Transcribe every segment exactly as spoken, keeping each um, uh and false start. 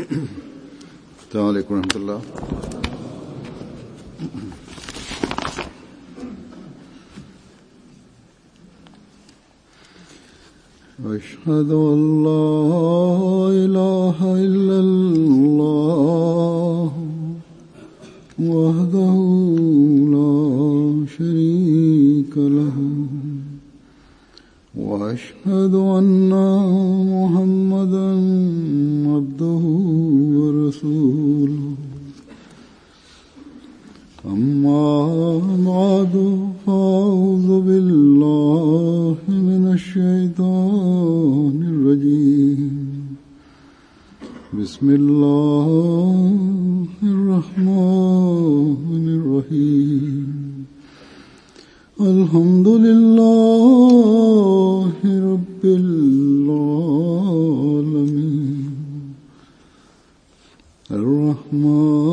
السلام عليكم ورحمة الله. أشهد أن لا إله إلا الله وحده لا شريك له وأشهد أن محمدا عبده ورسوله أما بعد فأعوذ بالله من الشيطان الرجيم بسم الله الرحمن الرحيم الحمد لله رب العالمين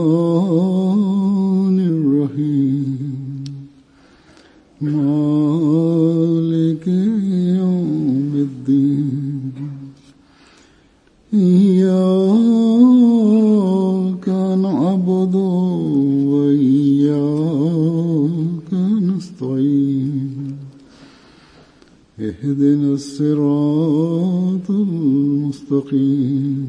الرحمن الرحيم مالك يوم الدين إياك نعبد وإياك نستعين اهدنا الصراط المستقيم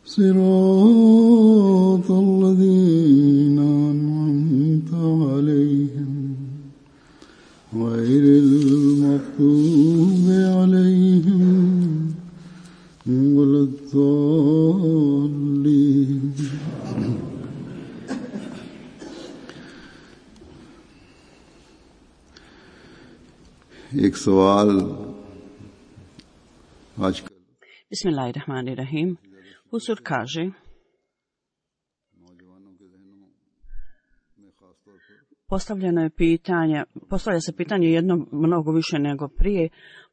صراط الذين أنعمت عليهم غير المغضوب عليهم ولا الضالين. एक सवाल आज Bismillahirrahmanirrahim. Husur kaže: Postavljeno je pitanje, postavlja se pitanje jedno mnogo više nego prije,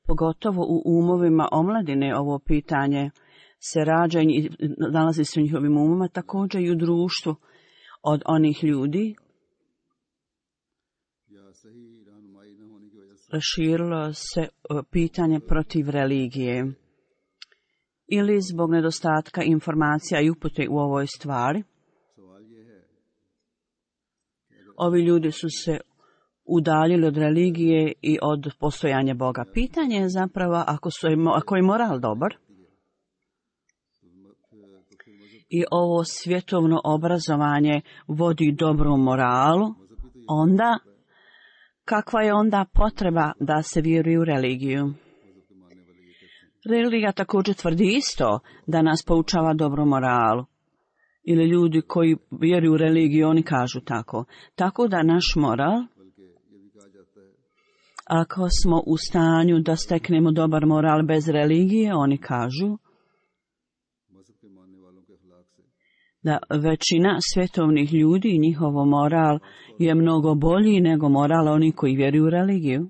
pogotovo u umovima omladine. Ovo pitanje se rađa i nalazi se u njihovim umama, također i u društvu od onih ljudi. Raširilo se pitanje protiv religije ili zbog nedostatka informacija i upute u ovoj stvari. Ovi ljudi su se udaljili od religije i od postojanja Boga. Pitanje je zapravo ako, su, ako je moral dobar i ovo svjetovno obrazovanje vodi dobrom moralu, onda kakva je onda potreba da se vjeruje u religiju? Religija također tvrdi isto da nas poučava dobru moralu. Ili ljudi koji vjeruju u religiju, oni kažu tako. Tako da naš moral, ako smo u stanju da steknemo dobar moral bez religije, oni kažu da većina svjetovnih ljudi i njihov moral je mnogo bolji nego moral onih koji vjeruju u religiju.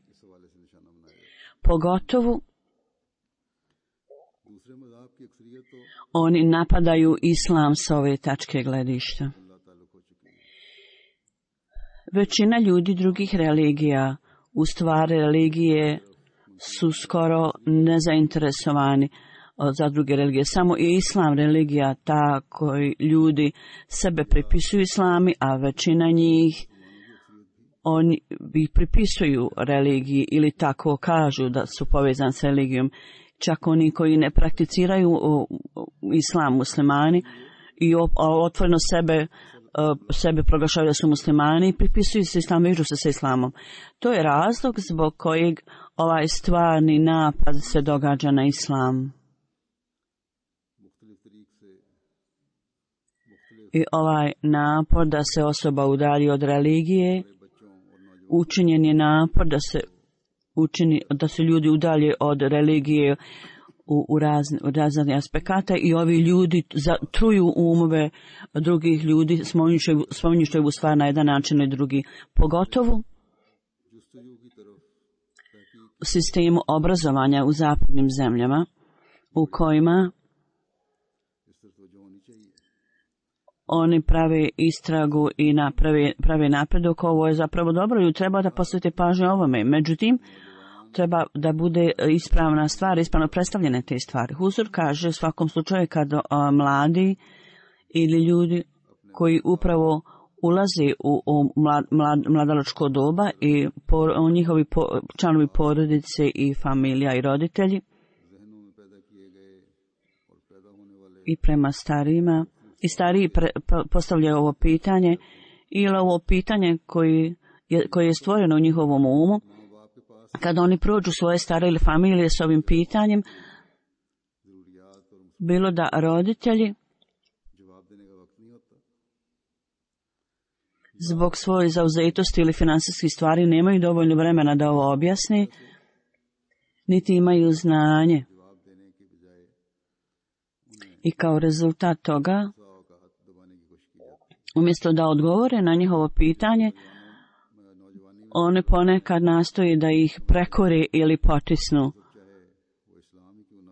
Pogotovo oni napadaju islam s ove tačke gledišta. Većina ljudi drugih religija, u stvari religije, su skoro nezainteresovani za druge religije. Samo je islam religija ta koji ljudi sebe pripisuju islami, a većina njih oni ih pripisuju religiji ili tako kažu da su povezani s religijom. Čak oni koji ne prakticiraju islam muslimani i otvoreno sebe, sebe proglašavaju da su muslimani i pripisuju se islam, vežu se sa islamom. To je razlog zbog kojeg ovaj stvarni napad se događa na islam. I ovaj napor da se osoba udalji od religije, učinjen je napor da se učini, da se ljudi udalje od religije u, u, razne, u razne aspekata i ovi ljudi zatruju umove drugih ljudi, spominjući ovu stvar na jedan način i drugi. Pogotovo u sistemu obrazovanja u zapadnim zemljama u kojima oni prave istragu i naprave, prave napredak. Ovo je zapravo dobro i treba da posvete pažnju ovome. Međutim, treba da bude ispravna stvar, ispravno predstavljene te stvari. Huzur kaže u svakom slučaju kad a, mladi ili ljudi koji upravo ulaze u, u mlad, mlad, mladalačko doba i po, njihovi po, članovi porodice i familija i roditelji i prema starijima i stariji pre, postavljaju ovo pitanje ili ovo pitanje koji je, koje je stvoreno u njihovom umu. Kada oni prođu svoje stare ili familije s ovim pitanjem, bilo da roditelji zbog svoje zauzetosti ili finansijskih stvari nemaju dovoljno vremena da ovo objasni, niti imaju znanje. I kao rezultat toga, umjesto da odgovore na njihovo pitanje, one ponekad nastoje da ih prekore ili potisnu,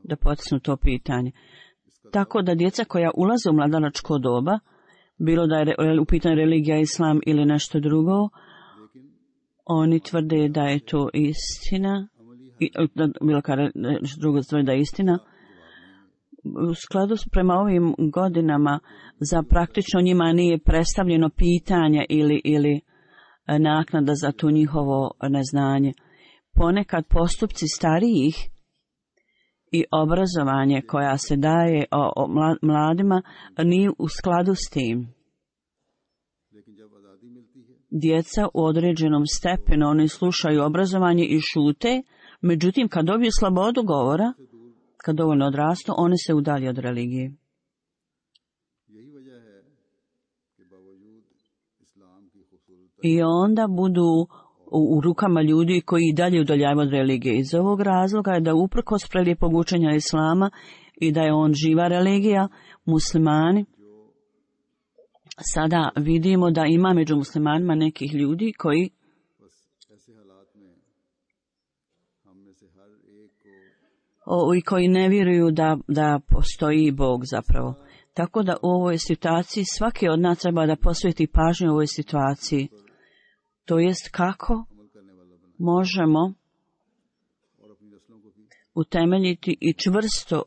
da potisnu to pitanje. Tako da djeca koja ulaze u mladalačko doba, bilo da je u pitanju religija, islam ili nešto drugo, oni tvrde da je to istina, bilo kada nešto drugo tvrde da je istina. U skladu prema ovim godinama za praktično njima nije predstavljeno pitanje ili, ili naknada za to njihovo neznanje. Ponekad postupci starijih i obrazovanje koja se daje o, o mladima nije u skladu s tim. Djeca u određenom stepenu oni slušaju obrazovanje i šute, međutim kad dobiju slobodu govora, kad dovoljno odrastu, oni se udalje od religije. I onda budu u, u rukama ljudi koji i dalje udaljavaju od religije. Iz ovog razloga je da uprkos prelijepog učenja islama i da je on živa religija, muslimani, sada vidimo da ima među muslimanima nekih ljudi koji o, i koji ne vjeruju da, da postoji Bog zapravo. Tako da u ovoj situaciji svaki od nas treba da posveti pažnju u ovoj situaciji. To jest kako možemo utemeljiti i čvrsto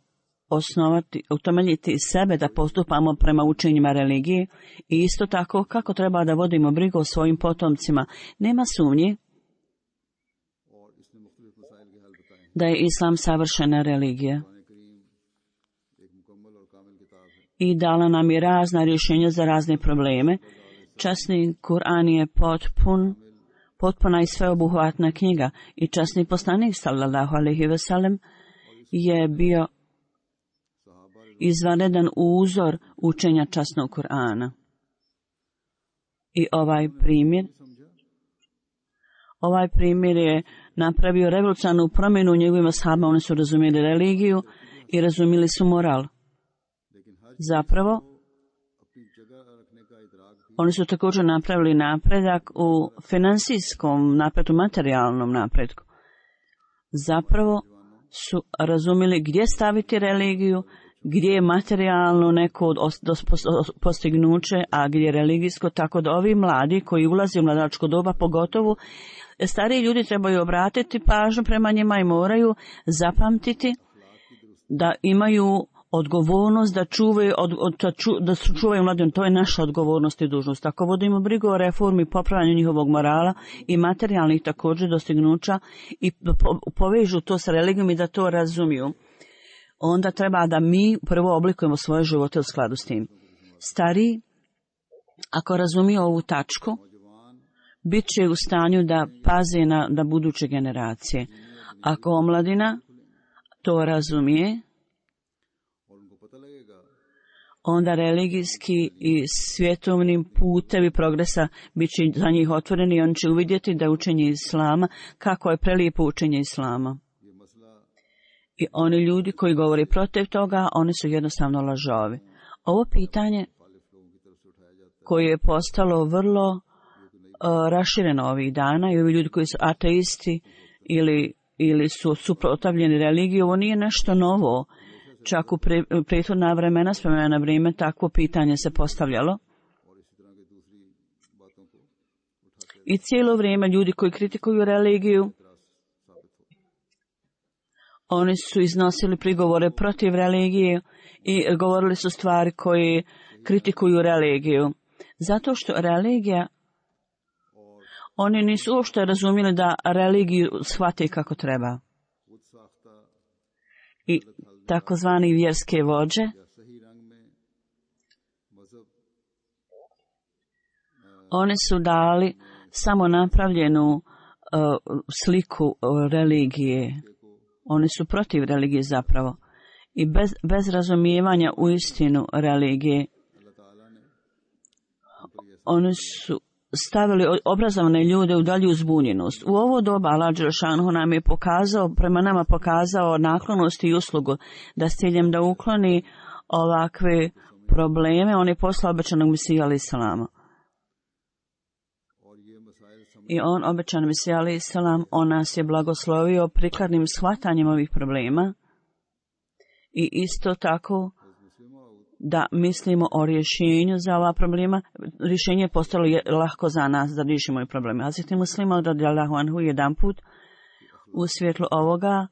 osnovati, utemeljiti sebe da postupamo prema učenjima religije i isto tako kako treba da vodimo brigu o svojim potomcima. Nema sumnje da je islam savršena religija i dala nam je razna rješenja za razne probleme. Časni Kur'an je potpun, potpuna i sveobuhvatna knjiga i časni poslanik sallallahu alejhi ve sellem je bio izvanredan uzor učenja časnog Kur'ana. I ovaj primjer, ovaj primjer je napravio revolucionarnu promjenu u njegovim ashabima. Oni su razumjeli religiju i razumjeli su moral. Zapravo, oni su također napravili napredak u financijskom napretku, materijalnom napretku. Zapravo su razumjeli gdje staviti religiju, gdje je materijalno neko postignuće, a gdje je religijsko, tako da ovi mladi koji ulaze u mladačko doba, pogotovo stariji ljudi trebaju obratiti pažnju prema njima i moraju zapamtiti da imaju odgovornost da čuvaju, od, od, da čuvaju mladim. To je naša odgovornost i dužnost. Ako vodimo brigu o reformi, popravljanju njihovog morala i materijalnih također dostignuća i po, povežu to sa religijom i da to razumiju, onda treba da mi prvo oblikujemo svoje živote u skladu s tim. Stariji, ako razumiju ovu tačku, bit će u stanju da paze na da buduće generacije. Ako omladina to razumije, onda religijski i svjetovni putevi progresa bit će za njih otvoreni i oni će uvidjeti da učenje islama, kako je prelijepo učenje islama. I oni ljudi koji govore protiv toga, oni su jednostavno lažovi. Ovo pitanje koje je postalo vrlo uh, rašireno ovih dana i ovi ljudi koji su ateisti ili, ili su suprotstavljeni religiji, ovo nije nešto novo. Čak u pre, prethodna vremena, spomena na vrijeme, takvo pitanje se postavljalo. I cijelo vrijeme ljudi koji kritikuju religiju Oni su iznosili prigovore protiv religije i govorili su stvari koje kritikuju religiju. Zato što religija, oni nisu uopšte razumjeli da religiju shvate kako treba. I takozvani vjerske vođe oni su dali samo napravljenu uh, sliku uh, religije. Oni su protiv religije zapravo. I bez, bez razumijevanja u istinu religije, oni su stavili obrazovane ljude u dalju zbunjenost. U ovo doba Allah dželešanu nam je pokazao, prema nama pokazao naklonost i uslugu da s ciljem da ukloni ovakve probleme, on je poslao obećanog Mesiju alejhi selam. I on, obećan Mesija alejhi selam, on nas je blagoslovio prikladnim shvatanjem ovih problema i isto tako da mislimo o rješenju za ova problema. Rješenje je postalo je lahko za nas da riješimo ove probleme. Hazreti Muslima radijallahu anhu jedan put u svjetlu ovoga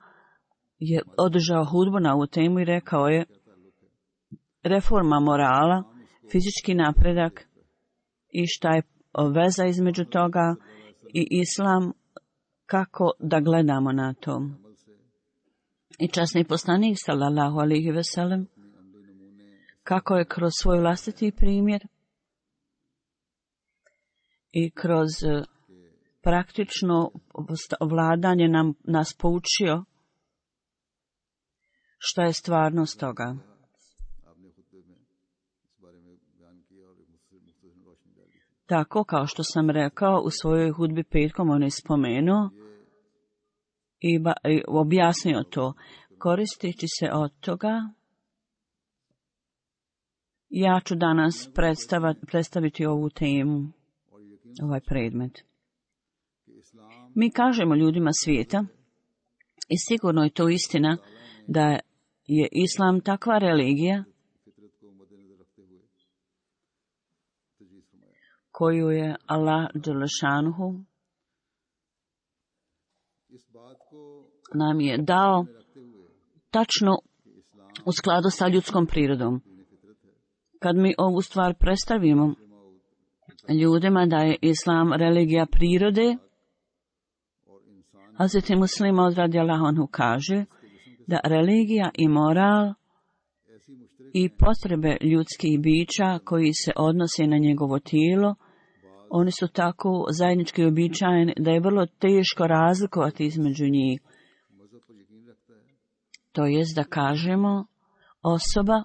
je održao hudbu na ovu temu i rekao je: reforma morala, fizički napredak i šta je veza između toga i islam, kako da gledamo na to. I časni poslanik sallallahu alejhi ve sellem, kako je kroz svoj vlastiti primjer i kroz praktično vladanje nam, nas poučio šta je stvarnost toga. Tako kao što sam rekao u svojoj hudbi petkom, on je spomenuo i, ba, i objasnio to. Koristeći se od toga, ja ću danas predstaviti ovu temu, ovaj predmet. Mi kažemo ljudima svijeta, i sigurno je to istina, da je islam takva religija koju je Allah dželešanuhu nam je dao tačno u skladu sa ljudskom prirodom. Kad mi ovu stvar predstavimo ljudima da je islam religija prirode, Hazreti Muslima radijallahu anhu kaže da religija i moral i potrebe ljudskih bića koji se odnose na njegovo tijelo, oni su tako zajednički običajeni da je vrlo teško razlikovati između njih. To jest da kažemo, osoba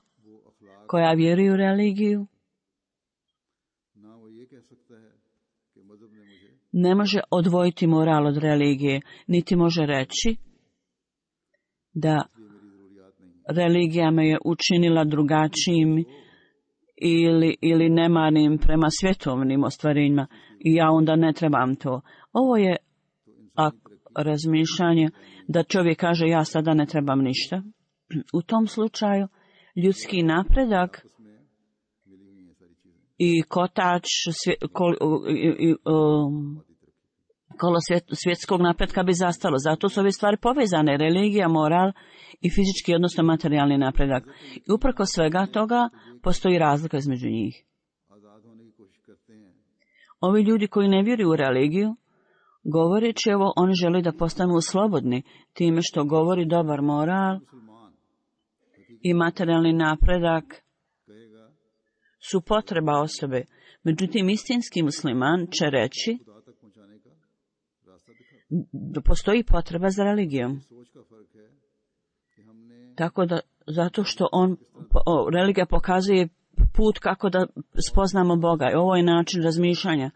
koja vjeruje u religiju ne može odvojiti moral od religije, niti može reći da religija me je učinila drugačijim ili, ili nemanim prema svjetovnim ostvarenjima i ja onda ne trebam to. Ovo je a, razmišljanje da čovjek kaže ja sada ne trebam ništa. U tom slučaju ljudski napredak i kotač svje, kol, i, i, um, kolo svjet, svjetskog napretka bi zastalo. Zato su ove stvari povezane, religija, moral i fizički, odnosno materijalni napredak. I uprko svega toga postoji razlika između njih. Ovi ljudi koji ne vjeruju u religiju, govoreći ovo, oni žele da postanu slobodni time što govori dobar moral i materijalni napredak su potreba osobe. Međutim, istinski musliman će reći da postoji potreba za religijom. Tako da, zato što on, o, religija pokazuje put kako da spoznamo Boga. I ovo je način razmišljanja.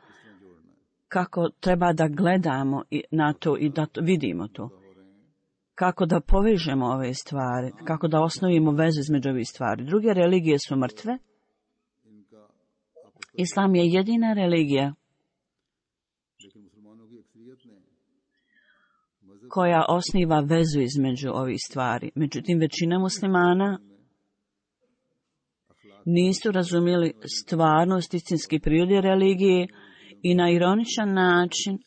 Kako treba da gledamo na to i da to, vidimo to. Kako da povežemo ove stvari. Kako da osnovimo vezu između ovih stvari. Druge religije su mrtve. Islam je jedina religija koja osniva vezu između ovih stvari. Međutim, većina muslimana nisu razumjeli stvarnost istinski prirode religije i na ironičan način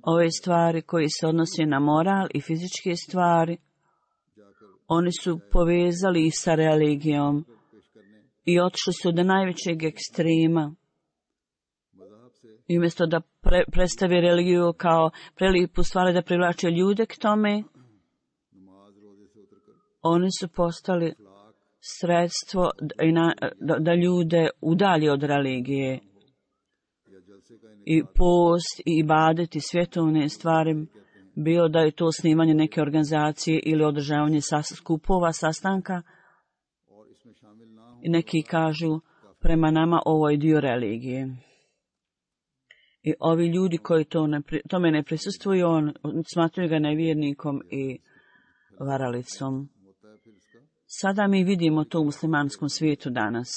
ove stvari koji se odnose na moral i fizičke stvari Oni su povezali ih sa religijom i otišli su do najvećeg ekstrema. I umjesto da pre, predstavi religiju kao prelijepu stvar da privlače ljude k tome, oni su postali sredstvo da, da, da ljude udalji od religije. I post, i ibadet, i svjetovne stvari, bilo da je to snimanje neke organizacije ili održavanje sas, skupova, sastanka. I neki kažu, prema nama ovo je dio religije. I ovi ljudi koji to ne, tome ne prisustvuju, on, smatruju ga nevjernikom i varalicom. Sada mi vidimo to u muslimanskom svijetu danas.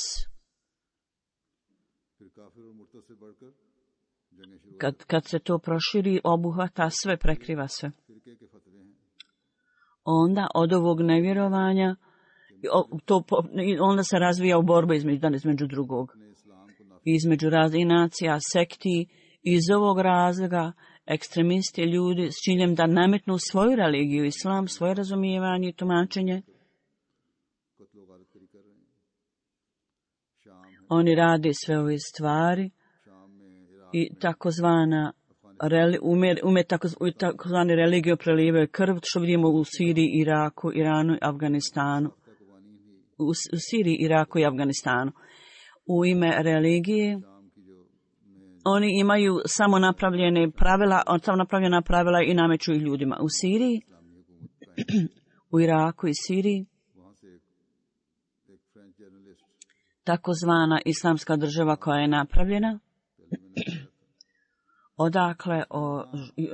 Kad, kad se to proširi, obuhvata sve, prekriva sve. Onda od ovog nevjerovanja, to, onda se razvija u borba između, između drugog. Između raznih nacija, sekti. Iz ovog razloga ekstremisti ljudi s ciljem da nametnu svoju religiju, islam, svoje razumijevanje i tumačenje. Oni rade sve ove stvari i takozvana ume, ume takozvani religiju prelijevaju krv, što vidimo u Siriji, Iraku, Iranu i Afganistanu. U, u Siriji, Iraku i Afganistanu. U ime religije oni imaju samo napravljene pravila, samo napravljena pravila i nameću ih ljudima. U Siriji, u Iraku i Siriji, takozvana islamska država koja je napravljena, odakle o,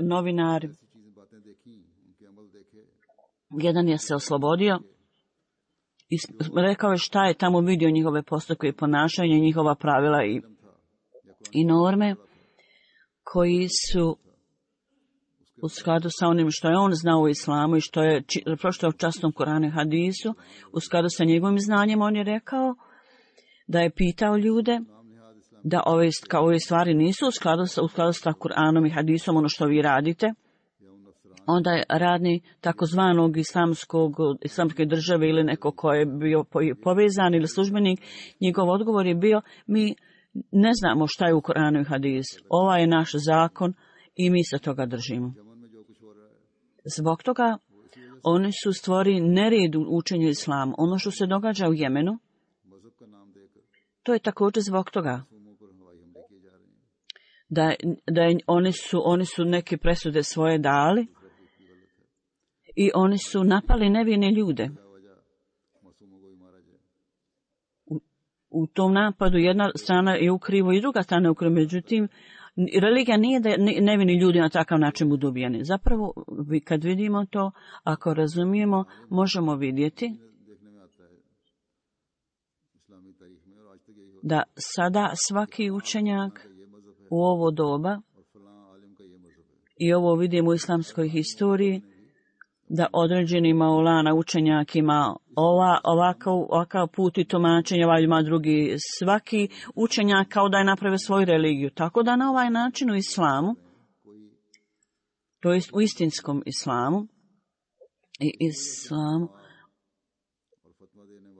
novinari, jedan je se oslobodio i rekao je šta je tamo vidio njihove postupke i ponašanje, njihova pravila i i norme koji su u skladu sa onim što je on znao u islamu i što je prošto u časnom Koranu i hadisu, u skladu sa njegovim znanjem on je rekao da je pitao ljude da ove, kao ove stvari nisu u skladu sa, u skladu sa Koranom i hadisom, ono što vi radite. Onda je radni takozvanog islamskog, islamske države ili neko ko je bio povezan ili službenik, njegov odgovor je bio, mi ne znamo šta je u Koranu i hadisu. Ova je naš zakon i mi se toga držimo. Zbog toga oni su stvorili nered u učenju islama. Ono što se događa u Jemenu, to je također zbog toga da, da je, oni, su, oni su neke presude svoje dali i oni su napali nevine ljude. U tom napadu jedna strana je u krivu i druga strana je u krivu. Međutim, religija nije da nevini ljudi na takav način budu ubijeni. Zapravo, kad vidimo to, ako razumijemo, možemo vidjeti da sada svaki učenjak u ovo doba, i ovo vidimo u islamskoj historiji, da određeni maulana učenjak ima ova, ovakav, ovakav put i tumačenje, ovaj ima drugi. Svaki učenjak kao da je napravio svoju religiju. Tako da na ovaj način u islamu, to jest u istinskom islamu, i islamu,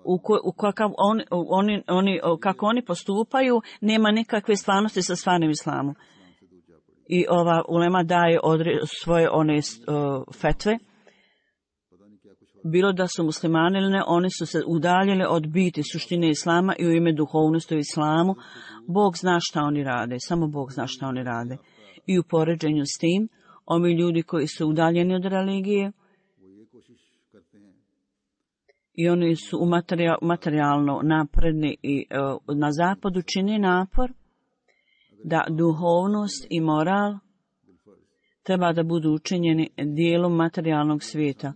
u, ko, u kakav on, oni, oni, kako oni postupaju, nema nikakve stvarnosti sa stvarnim islamom. I ova ulema daje odre, svoje one uh, fetve, bilo da su muslimani ili ne, oni su se udaljili od biti suštine islama i u ime duhovnosti u islamu. Bog zna šta oni rade, samo Bog zna šta oni rade. I u poređenju s tim, ovi ljudi koji su udaljeni od religije i oni su u materijal, materijalno napredni i uh, na zapadu čini napor da duhovnost i moral treba da budu učinjeni dijelom materijalnog svijeta.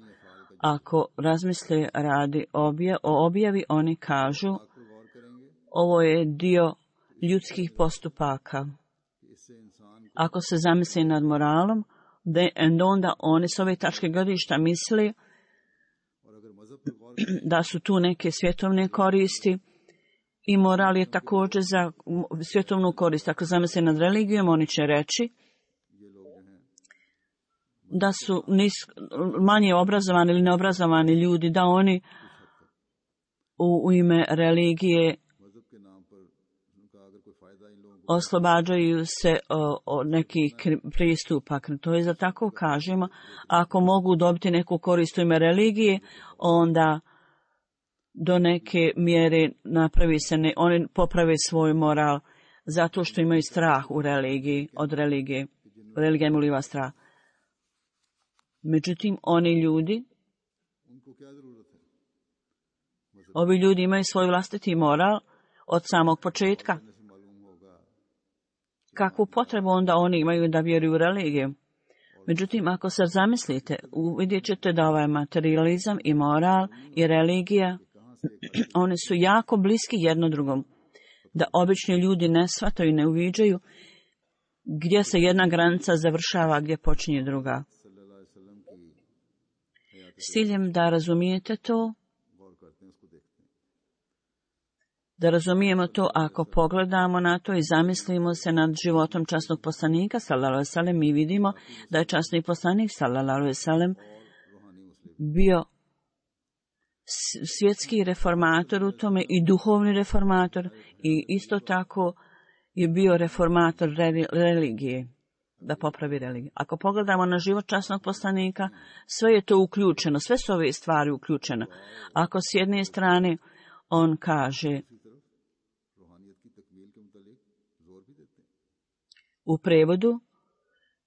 Ako razmisle radi obje, o objavi, oni kažu ovo je dio ljudskih postupaka. Ako se zamisli nad moralom, de, onda oni s ove tačke gledišta misli da su tu neke svjetovne koristi i moral je također za svjetovnu korist. Ako zamisle nad religijom, oni će reći da su nis, manje obrazovani ili neobrazovani ljudi, da oni u, u ime religije oslobađaju se o, o nekih pristupa. To je za tako kažemo, ako mogu dobiti neku korist u ime religije, onda do neke mjere napravi se, ne, oni poprave svoj moral zato što imaju strah u religiji, od religije. Religija im uliva strah. Međutim, oni ljudi, ovi ljudi imaju svoj vlastiti moral od samog početka. Kakvu potrebu onda oni imaju da vjeruju u religiju? Međutim, ako se zamislite, vidjet ćete da ovaj materializam i moral i religija, oni su jako bliski jedno drugom. Da obični ljudi ne shvataju i ne uviđaju gdje se jedna granica završava, gdje počinje druga. S ciljem da razumijete to, da razumijemo to ako pogledamo na to i zamislimo se nad životom časnog poslanika, sallallahu alejhi ve sellem, mi vidimo da je časni poslanik, sallallahu alejhi ve sellem, bio svjetski reformator u tome i duhovni reformator i isto tako je bio reformator religije, da popravi religiju. Ako pogledamo na život časnog poslanika, sve je to uključeno, sve su ove stvari uključene. Ako s jedne strane on kaže u prevodu,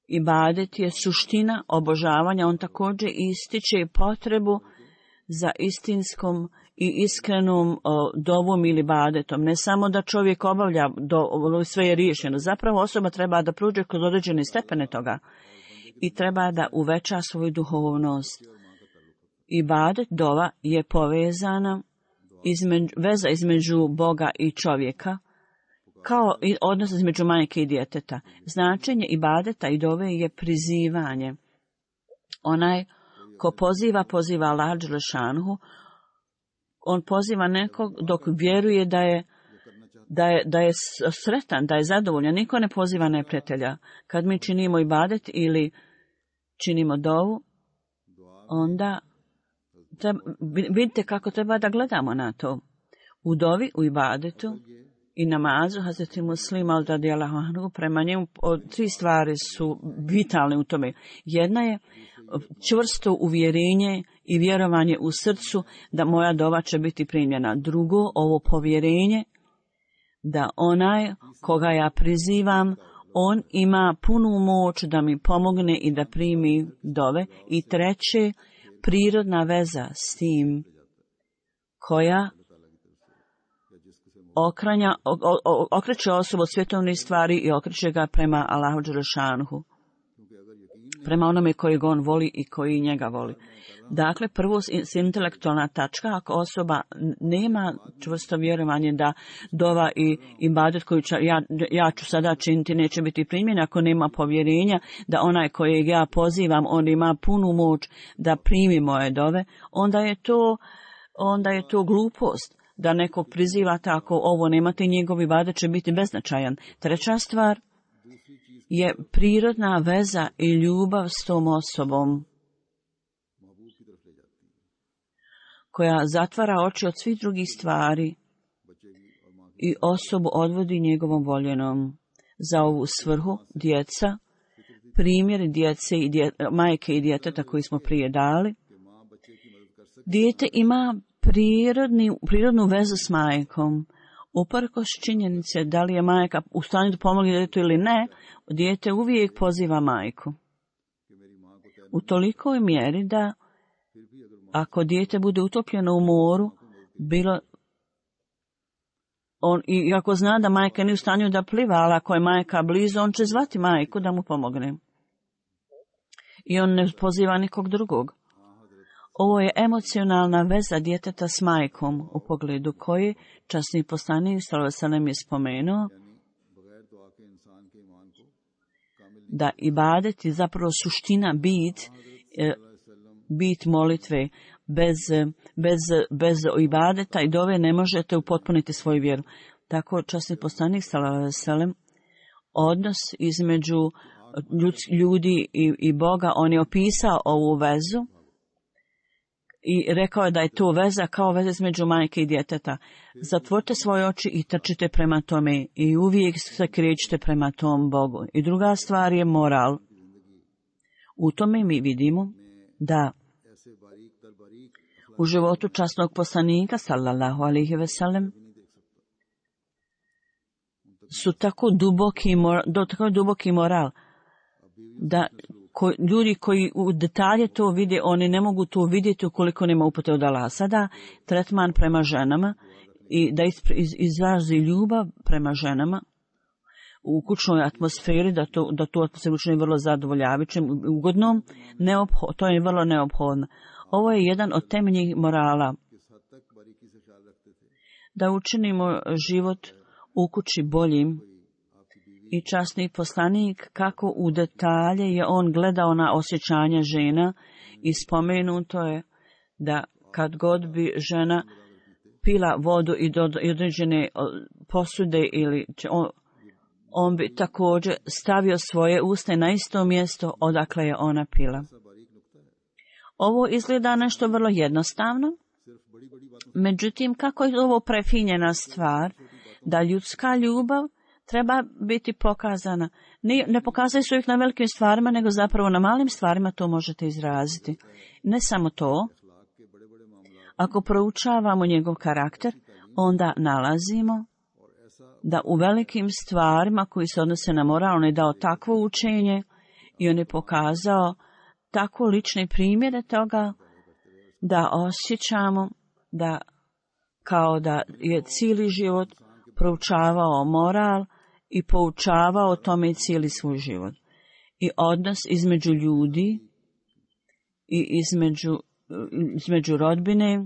ibadet je suština obožavanja, on također ističe potrebu za istinskom i iskrenom o, dovom ili ibadetom. Ne samo da čovjek obavlja, do, sve je riješeno. Zapravo osoba treba da prođe kroz određene stepene toga i treba da uveća svoju duhovnost. Ibadet, dova, je povezana između, veza između Boga i čovjeka, kao i odnos između majke i djeteta. Značenje ibadeta i dove je prizivanje. Onaj ko poziva, poziva Allah dželle šanuhu, on poziva nekog dok vjeruje da je, da je, da je sretan, da je zadovoljan. Niko ne poziva neprijatelja. Kad mi činimo ibadet ili činimo dovu, onda treba, vidite kako treba da gledamo na to. U dovi, u ibadetu i namazu, Hazreti Muslima radijallahu anhu, prema njemu tri stvari su vitalne u tome. Jedna je čvrsto uvjerenje i vjerovanje u srcu da moja dova će biti primljena. Drugo, ovo povjerenje da onaj koga ja prizivam, on ima punu moć da mi pomogne i da primi dove. I treće, prirodna veza s tim koja okranja, okreće osobu od svjetovnih stvari i okreće ga prema Allahu dželle šanuhu, prema onome koji on voli i koji njega voli. Dakle, prvo s intelektualna tačka, ako osoba nema čvrsto vjerovanje da dova i ibadet koju ću, ja, ja ću sada činiti neće biti primjen, ako nema povjerenja da onaj kojeg ja pozivam, on ima punu moć da primi moje dove, onda je to, onda je to glupost da nekog priziva tako, ovo nemate, njegov ibadet će biti beznačajan. Treća stvar je prirodna veza i ljubav s tom osobom koja zatvara oči od svih drugih stvari i osobu odvodi njegovom voljenom. Za ovu svrhu djeca, primjer djece i dje, majke i djeteta koji smo prije dali, dijete ima prirodni, prirodnu vezu s majkom. Uprkos činjenice da li je majka u stanju da pomogne djetetu ili ne, dijete uvijek poziva majku. U tolikoj mjeri da ako dijete bude utopljeno u moru, bilo on, i ako zna da majka nije u stanju da pliva, ali ako je majka blizu, on će zvati majku da mu pomogne. I on ne poziva nikog drugog. Ovo je emocionalna veza djeteta s majkom, u pogledu koje časni poslanik sallallahu alejhi ve sellem je spomenuo da ibadet je zapravo suština, bit, bit molitve. Bez, bez, bez ibadeta i dove ne možete upotpuniti svoju vjeru. Tako časni poslanik sallallahu alejhi ve sellem odnos između ljudi i, i Boga, on je opisao ovu vezu i rekao je da je to veza kao veza između majke i djeteta. Zatvorite svoje oči i trčite prema tome i uvijek se krećite prema tom Bogu. I druga stvar je moral. U tome mi vidimo da u životu časnog poslanika, sallallahu alejhi ve sellem, su tako duboki, do tako duboki moral, da ko, ljudi koji u detalje to vide, oni ne mogu to vidjeti ukoliko nema upute od Allaha. Sada tretman prema ženama i da iz, iz, izrazi ljubav prema ženama u kućnoj atmosferi, da to, da to atmosferu učini vrlo zadovoljavajućim, ugodnom, neopho, to je vrlo neophodno. Ovo je jedan od temeljnih morala. Da učinimo život u kući boljim. I časni poslanik, kako u detalje je on gledao na osjećanja žena i spomenuto je da kad god bi žena pila vodu i do određene posude ili on, on bi također stavio svoje usta na isto mjesto odakle je ona pila. Ovo izgleda nešto vrlo jednostavno, međutim kako je ovo prefinjena stvar da ljudska ljubav treba biti pokazana. Ne, ne pokazuje se uvijek na velikim stvarima, nego zapravo na malim stvarima to možete izraziti. Ne samo to. Ako proučavamo njegov karakter, onda nalazimo da u velikim stvarima koji se odnose na moral, on je dao takvo učenje i on je pokazao tako lične primjere toga da osjećamo da kao da je cijeli život proučavao moral i poučavao tome cijeli svoj život. I odnos između ljudi i između, između rodbine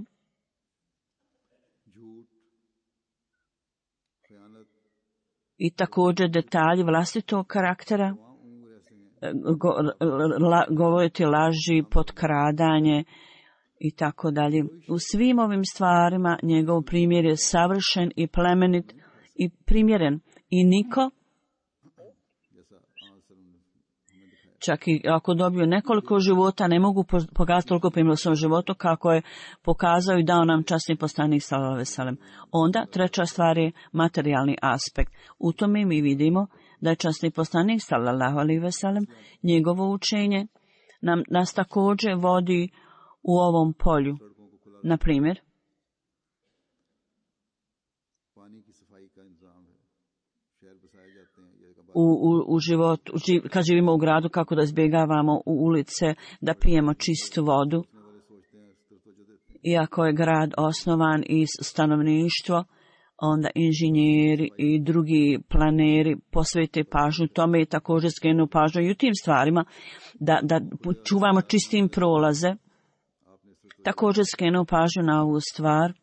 i također detalji vlastitog karaktera, go, la, govoriti laži, potkradanje i tako dalje. U svim ovim stvarima njegov primjer je savršen i plemenit i primjeren. I niko, čak i ako dobiju nekoliko života, ne mogu pokazati toliko primjera u svom životu kako je pokazao i dao nam časni poslanik sallallahu alejhi ve sellem. Onda treća stvar je materijalni aspekt. U tome mi vidimo da je časni poslanik sallallahu alejhi ve sellem, njegovo učenje nam, nas također vodi u ovom polju. Na primjer, U, u, u životu, živ, kad živimo u gradu, kako da izbjegavamo u ulice, da pijemo čistu vodu. Iako je grad osnovan iz stanovništvo, onda inženjeri i drugi planeri posvete pažnju tome i također skrenu pažnju i u tim stvarima, da, da čuvamo čistim prolaze. Također skrenu pažnju na ovu stvar,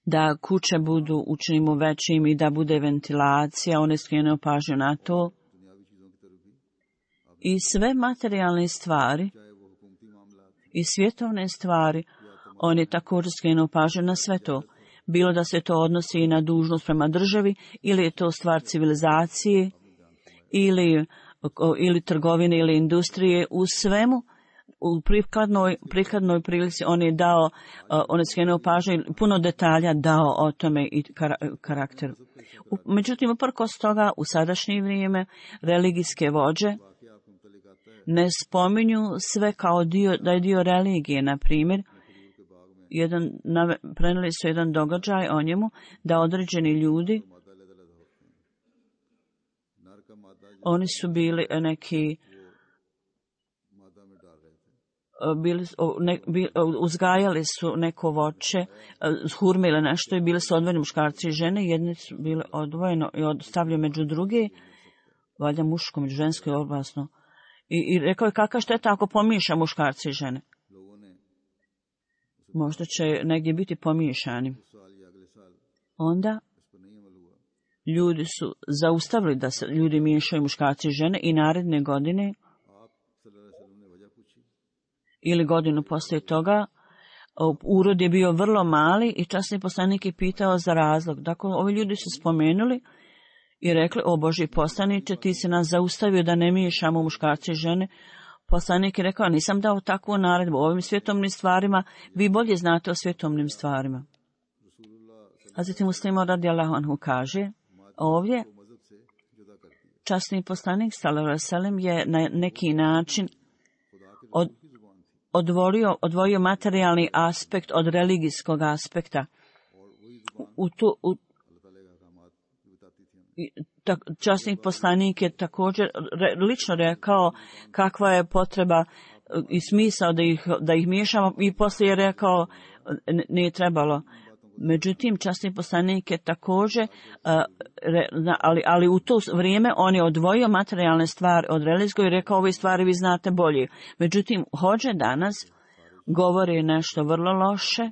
da kuće budu učinimo većim i da bude ventilacija, one skrenuo pažnju na to. I sve materijalne stvari i svjetovne stvari, oni također skrenuo pažnju na sve to. Bilo da se to odnosi i na dužnost prema državi, ili je to stvar civilizacije, ili, ili trgovine, ili industrije, u svemu. U prikladnoj, prikladnoj prilici on je dao, uh, on je skrenuo pažnju i puno detalja dao o tome i kar, karakteru. U, međutim, uprkos toga, u sadašnje vrijeme, religijske vođe ne spominju sve kao dio, da je dio religije. Na primjer, jedan, prenijeli su jedan događaj o njemu, da određeni ljudi, oni su bili neki Bili, ne, bili, uzgajali su neko voće, hurme ili nešto i bili su odvojeni muškarci i žene, jedni su bili odvojeno i stavljaju među druge, valjda muško, među žensko je opasno. I, I rekao je kakva šteta ako pomiješa muškarci i žene. Možda će negdje biti pomiješani. Onda ljudi su zaustavili da se ljudi miješaju muškarci i žene i naredne godine ili godinu poslije toga, urod je bio vrlo mali i časni poslanik je pitao za razlog. Dakle, ovi ljudi su spomenuli i rekli, o Božji poslaniče, ti si nas zaustavio da ne miješamo muškarce i žene. Poslanik je rekao, nisam dao takvu naredbu o ovim svjetovnim stvarima, vi bolje znate o svjetovnim stvarima. Hazreti Muslima radijallahu anhu kaže, ovdje časni poslanik sallallahu alejhi ve sellem je na neki način od, odvojio, odvojio materijalni aspekt od religijskog aspekta. U to, u, ta, časni poslanik je također re, lično rekao kakva je potreba i smisao da ih, da ih miješamo i poslije je rekao nije trebalo. Međutim, časni poslanik je također, ali, ali u to vrijeme on je odvojio materijalne stvari od religijskog i rekao ove stvari vi znate bolje. Međutim, hođe danas govori nešto vrlo loše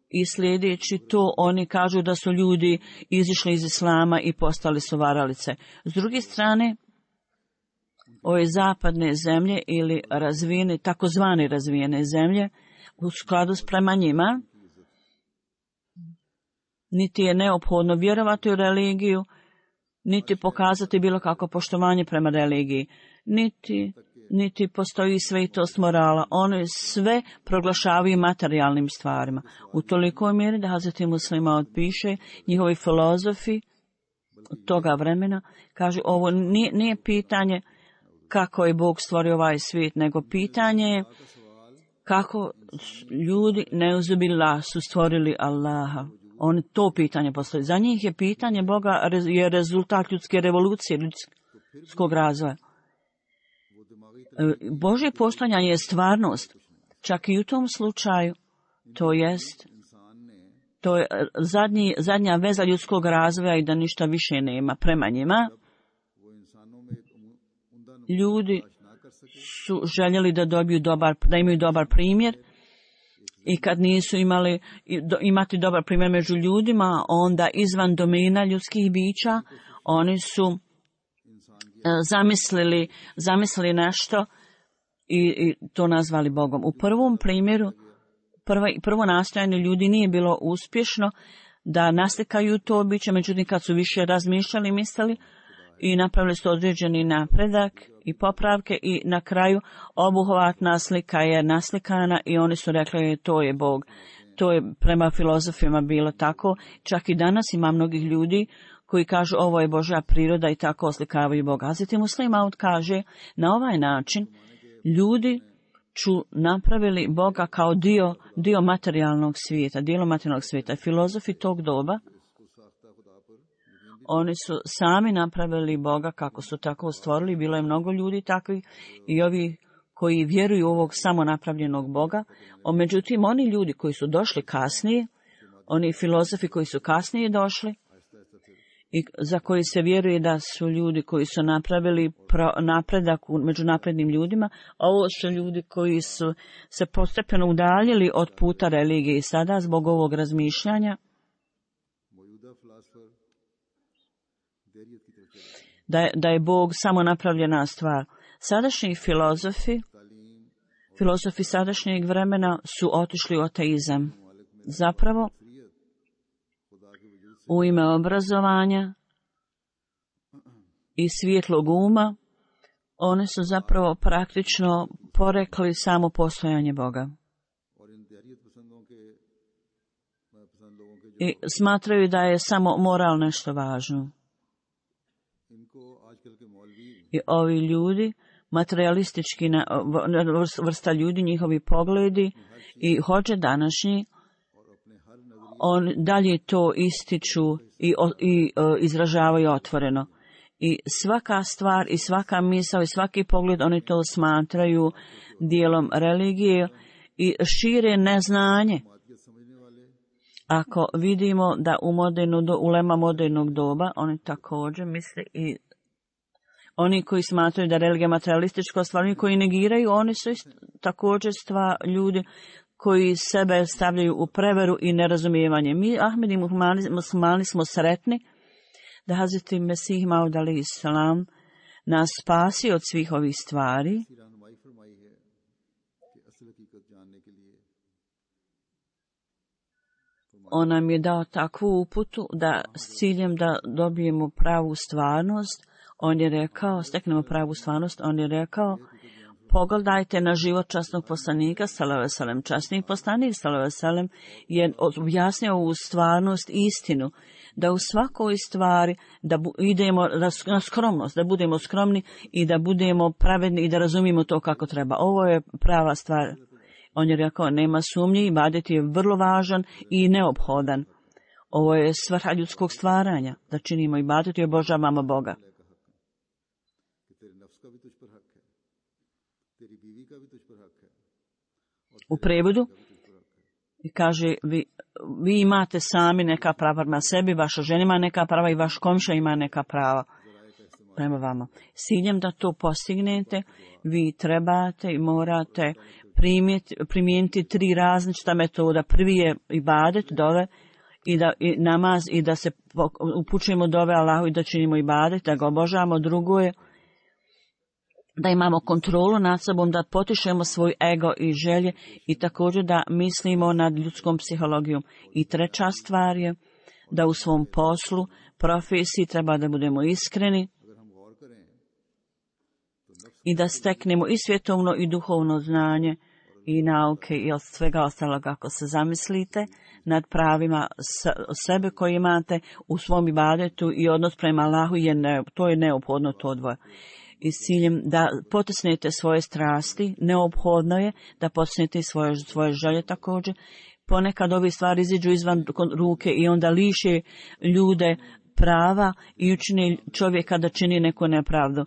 i sljedeći to oni kažu da su ljudi izišli iz islama i postali su varalice. S druge strane, ove zapadne zemlje ili razvijene, takozvane razvijene zemlje, u skladu s prema njima, niti je neophodno vjerovati u religiju, niti pokazati bilo kako poštovanje prema religiji, niti, niti postoji svetost morala. Oni sve proglašavaju materijalnim stvarima. U tolikoj mjeri da Hazreti Muslima otpiše njihovi filozofi toga vremena, kaže ovo nije, nije pitanje kako je Bog stvorio ovaj svijet, nego pitanje je kako ljudi neuzubillah su stvorili Allaha. Oni to pitanje postoji. Za njih je pitanje Boga je rezultat ljudske revolucije, ljudskog razvoja. Božje postojanje je stvarnost. Čak i u tom slučaju, to jest, to je zadnji, zadnja veza ljudskog razvoja i da ništa više nema prema njima. Ljudi su željeli da dobiju dobar, da imaju dobar primjer i kad nisu imali imati dobar primjer među ljudima, onda izvan domena ljudskih bića, oni su zamislili, zamislili nešto i, i to nazvali Bogom. U prvom primjeru, prvo, prvo nastojanje ljudi nije bilo uspješno da naslikaju to biće, međutim kad su više razmišljali, mislili i napravili su određeni napredak i popravke i na kraju obuhvatna slika je naslikana i oni su rekli to je Bog. To je prema filozofima bilo tako. Čak i danas ima mnogih ljudi koji kažu ovo je Božja priroda i tako oslikavaju Boga. Hazreti Muslima kaže na ovaj način ljudi su napravili Boga kao dio, dio materijalnog svijeta, dijelo materijalnog svijeta. Filozofi tog doba, oni su sami napravili Boga kako su tako stvorili. Bilo je mnogo ljudi takvih i ovi koji vjeruju u ovog samo napravljenog Boga. O, međutim, oni ljudi koji su došli kasnije, oni filozofi koji su kasnije došli i za koji se vjeruje da su ljudi koji su napravili pro, napredak među naprednim ljudima, ovo su ljudi koji su se postepeno udaljili od puta religije i sada zbog ovog razmišljanja Da je, da je Bog samo napravljena stvar. Sadašnji filozofi, filozofi sadašnjeg vremena su otišli u ateizam. Zapravo, u ime obrazovanja i svjetlog uma, oni su zapravo praktično porekli samo postojanje Boga. I smatraju da je samo moral nešto važno. I ovi ljudi, materialistički vrsta ljudi, njihovi pogledi i hođe današnji, on dalje to ističu i, i uh, izražavaju otvoreno. I svaka stvar i svaka misao i svaki pogled, oni to smatraju dijelom religije i šire neznanje. Ako vidimo da u modernu, ulema modernog doba, oni također misle i oni koji smatraju da religija materialistička stvar, oni koji negiraju, oni su također stvar ljudi koji sebe stavljaju u preveru i nerazumijevanje. Mi, Ahmedi muslimani, smo sretni da Hazreti Mesih Maud alejhi selam nas spasi od svih ovih stvari. On nam je dao takvu uputu da s ciljem da dobijemo pravu stvarnost, on je rekao, steknemo pravu stvarnost, on je rekao, pogledajte na život časnog poslanika, sallallahu alejhi ve sellem. Časni poslanik, sallallahu alejhi ve sellem, je objasnio ovu stvarnost, istinu, da u svakoj stvari da bu, idemo na skromnost, da budemo skromni i da budemo pravedni i da razumijemo to kako treba. Ovo je prava stvar. On je rekao, nema sumnje, ibadet je vrlo važan i neophodan. Ovo je svrha ljudskog stvaranja, da činimo ibadet i obožavamo Boga. U prevodu kaže, vi, vi imate sami neka prava prema sebi, vaša žena ima neka prava i vaš komšija ima neka prava prema vama. S ciljem da to postignete, vi trebate i morate primijeniti tri različita metoda. Prvi je ibadet, dove, i da i namaz i da se upućujemo dove Allahu i da činimo ibadet, da ga obožavamo. Drugo je da imamo kontrolu nad sobom, da potišemo svoj ego i želje i također da mislimo nad ljudskom psihologijom. I treća stvar je da u svom poslu, profesiji treba da budemo iskreni i da steknemo i svjetovno i duhovno znanje i nauke i od svega ostalog. Ako se zamislite nad pravima sebe koje imate u svom ibadetu i odnos prema Allahu, je ne, to je neophodno to dvoje. I s ciljem da potisnete svoje strasti, neophodno je da potisnete svoje, svoje želje također. Ponekad ove stvari iziđu izvan ruke i onda liše ljude prava i učine čovjeka da čini neku nepravdu.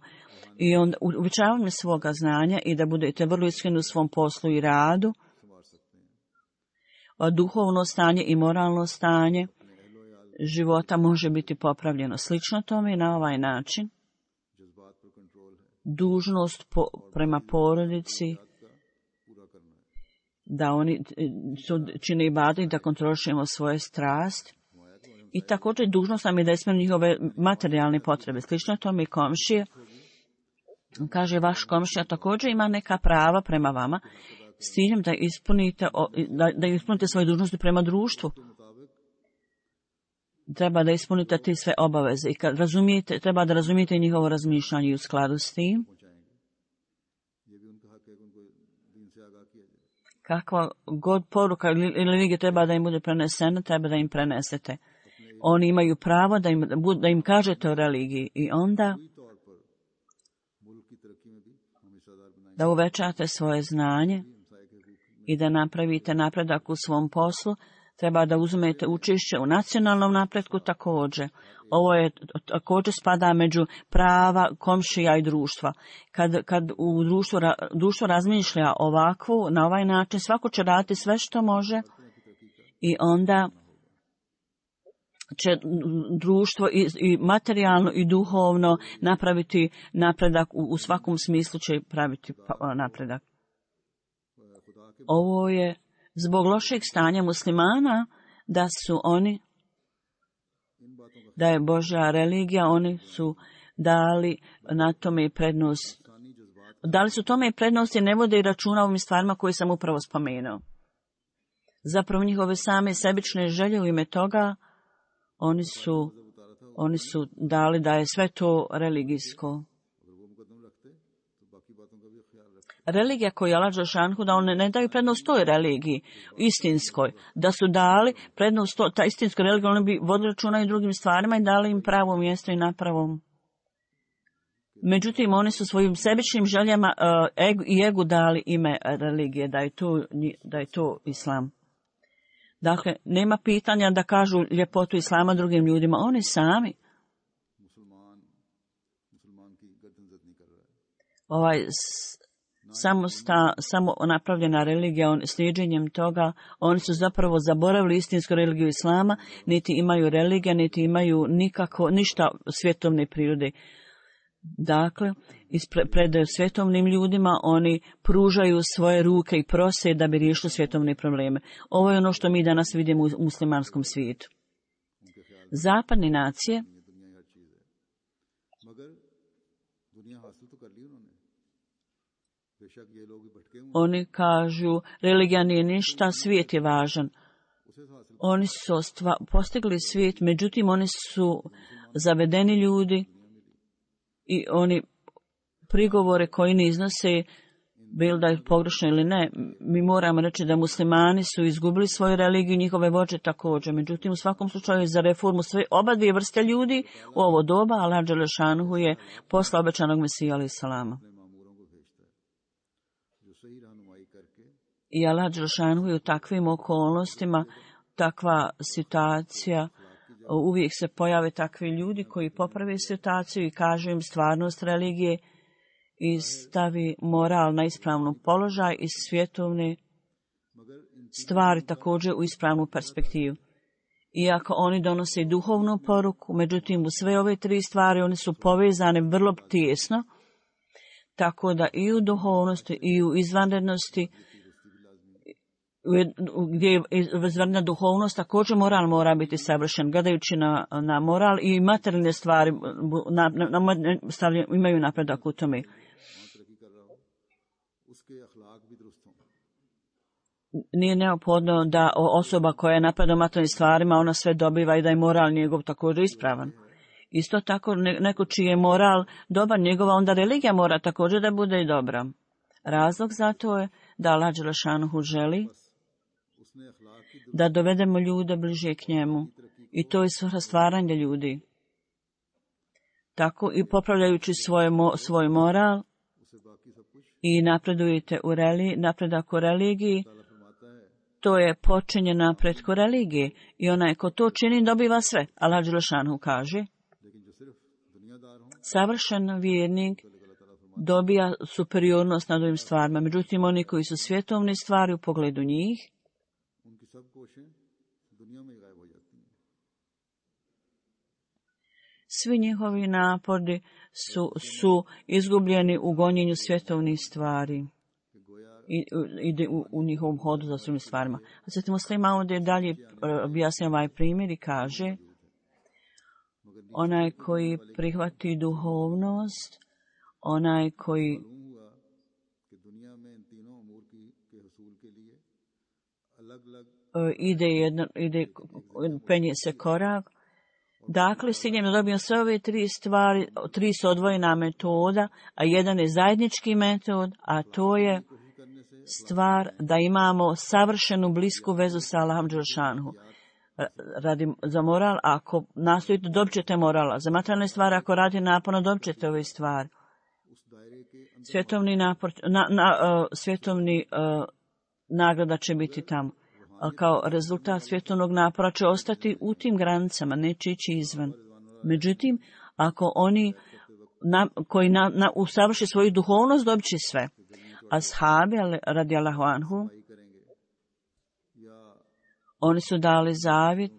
I onda uvećavanje svoga znanja i da budete vrlo iskreni u svom poslu i radu, duhovno stanje i moralno stanje života može biti popravljeno. Slično tome i na ovaj način dužnost po, prema porodici da oni čine ibadet i da kontrolišemo svoje strasti. I također dužnost nam je da ispunimo njihove materijalne potrebe. Slično tome i komšije. Kaže, vaš komšija također ima neka prava prema vama s ciljem da ispunite, da, da ispunite svoje dužnosti prema društvu. Treba da ispunite te sve obaveze i kad razumijete, treba da razumijete njihovo razmišljanje i u skladu s tim. Kakva god poruka ili religija treba da im bude prenesena, treba da im prenesete. Oni imaju pravo da im, da im kažete o religiji i onda da uvećate svoje znanje i da napravite napredak u svom poslu. Treba da uzmete učešće u nacionalnom napretku također. Ovo je također spada među prava komšija i društva. Kad, kad u društvu, društvo razmišlja ovakvu, na ovaj način, svako će raditi sve što može i onda će društvo i, i materijalno i duhovno napraviti napredak, u, u svakom smislu će praviti napredak. Ovo je zbog lošeg stanja muslimana, da su oni, da je Božja religija, oni su dali na tome prednost. Dali su tome prednost i ne vode i računa ovim stvarima koje sam upravo spomenuo. Zapravo njihove same sebične želje u ime toga, oni su, oni su dali da je sve to religijsko. Religija koju je Allah dželešanu, da one ne daju prednost toj religiji, istinskoj, da su dali prednost to, ta istinskoj religiji, oni bi vodili računa i drugim stvarima i dali im pravo mjesto i na pravom. Međutim, oni su svojim sebičnim željama uh, egu, i egu dali ime religije, da je to, da je to islam. Dakle, nema pitanja da kažu ljepotu islama drugim ljudima, oni sami. Ovaj samo, sta, samo napravljena religija, on, slijedženjem toga, oni su zapravo zaboravili istinsku religiju islama, niti imaju religija, niti imaju nikako, ništa svjetovne prirode. Dakle, pred svjetovnim ljudima oni pružaju svoje ruke i prose da bi riješili svjetovne probleme. Ovo je ono što mi danas vidimo u muslimanskom svijetu. Zapadne nacije oni kažu, religija nije ništa, svijet je važan. Oni su ostva, postigli svijet, međutim oni su zavedeni ljudi i oni prigovore koji ne iznose, bilo da je pogrešno ili ne, mi moramo reći da muslimani su izgubili svoju religiju, njihove vođe također. Međutim, u svakom slučaju za reformu sve oba dvije vrste ljudi u ovo doba, Allah dželešanuhu je poslao obećanog Mesija alejhi salama. I Allah dželešanuhu je u takvim okolnostima, takva situacija, uvijek se pojave takvi ljudi koji poprave situaciju i kažu im stvarnost religije i stavi moral na ispravnu položaj i svjetovne stvari također u ispravnu perspektivu. Iako oni donose duhovnu poruku, međutim u sve ove tri stvari oni su povezane vrlo tijesno, tako da i u duhovnosti i u izvanrednosti, gdje je izvanredna duhovnost, također moral mora biti savršen. Gledajući na, na moral i materijalne stvari na, na, na, stavljen, imaju napredak u tome. Nije neophodno da osoba koja je napada materijalnim stvarima, ona sve dobiva i da je moral njegov također ispravan. Isto tako, neko čiji je moral dobar, njegova onda religija mora također da bude i dobra. Razlog za to je da Allah dželešanuhu želi da dovedemo ljude bliže k njemu. I to je svrha stvaranja ljudi. Tako i popravljajući svoje, svoj moral i napredujete u religiji, napredak u religiji, to je počinje napretku religije. I onaj ko to čini dobiva sve. Allah dželešanuhu kaže, savršen vjernik dobija superiornost nad ovim stvarima. Međutim, oni koji su svjetovne stvari u pogledu njih, svi njihovi napori su, su izgubljeni u gonjenju svjetovnih stvari i ide u, u njihovom hodu za svim stvarima. A sad muslima ovdje dalje objasnja ovaj primjer i kaže, onaj koji prihvati duhovnost, onaj koji ide, jedno, ide penje se korak. Dakle, s ciljem da dobijem sve ove tri stvari, tri su odvojena metoda, a jedan je zajednički metod, a to je stvar da imamo savršenu blisku vezu sa Allahom dželešanuhu. Radi za moral, ako nastojite, dobit ćete morala. Za materijalne stvari, ako radite naporno, dobit ćete ove stvari. Svjetovni napor, na, na, uh, svjetovni uh, nagrada će biti tamo. Ali kao rezultat svjetovnog napora će ostati u tim granicama, neće ići izvan. Međutim, ako oni na, koji na, na, usavrši svoju duhovnost, dobit će sve. Ashabi, radijallahu anhu, oni su dali zavjet.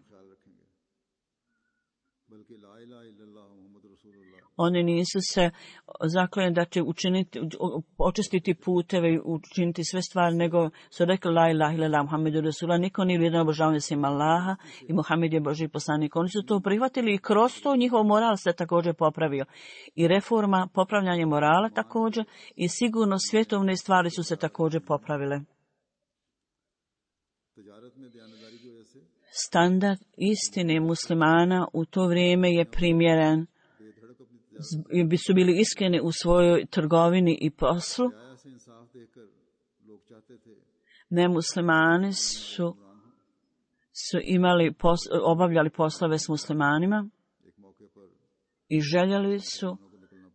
Oni nisu se zakleli da će učiniti, očistiti puteve i učiniti sve stvari, nego su rekli la ilaha illallah Muhammedu Rasulullah, niko nije vrijedan obožavanja sem Allaha i Muhammed je Božji poslanik. Oni su to prihvatili i kroz to njihov moral se također popravio. I reforma, popravljanje morala također i sigurno svjetovne stvari su se također popravile. Standard istine muslimana u to vrijeme je primjeren. Bi su bili iskreni u svojoj trgovini i poslu. Nemuslimani su, su imali pos, obavljali poslove s muslimanima i željeli su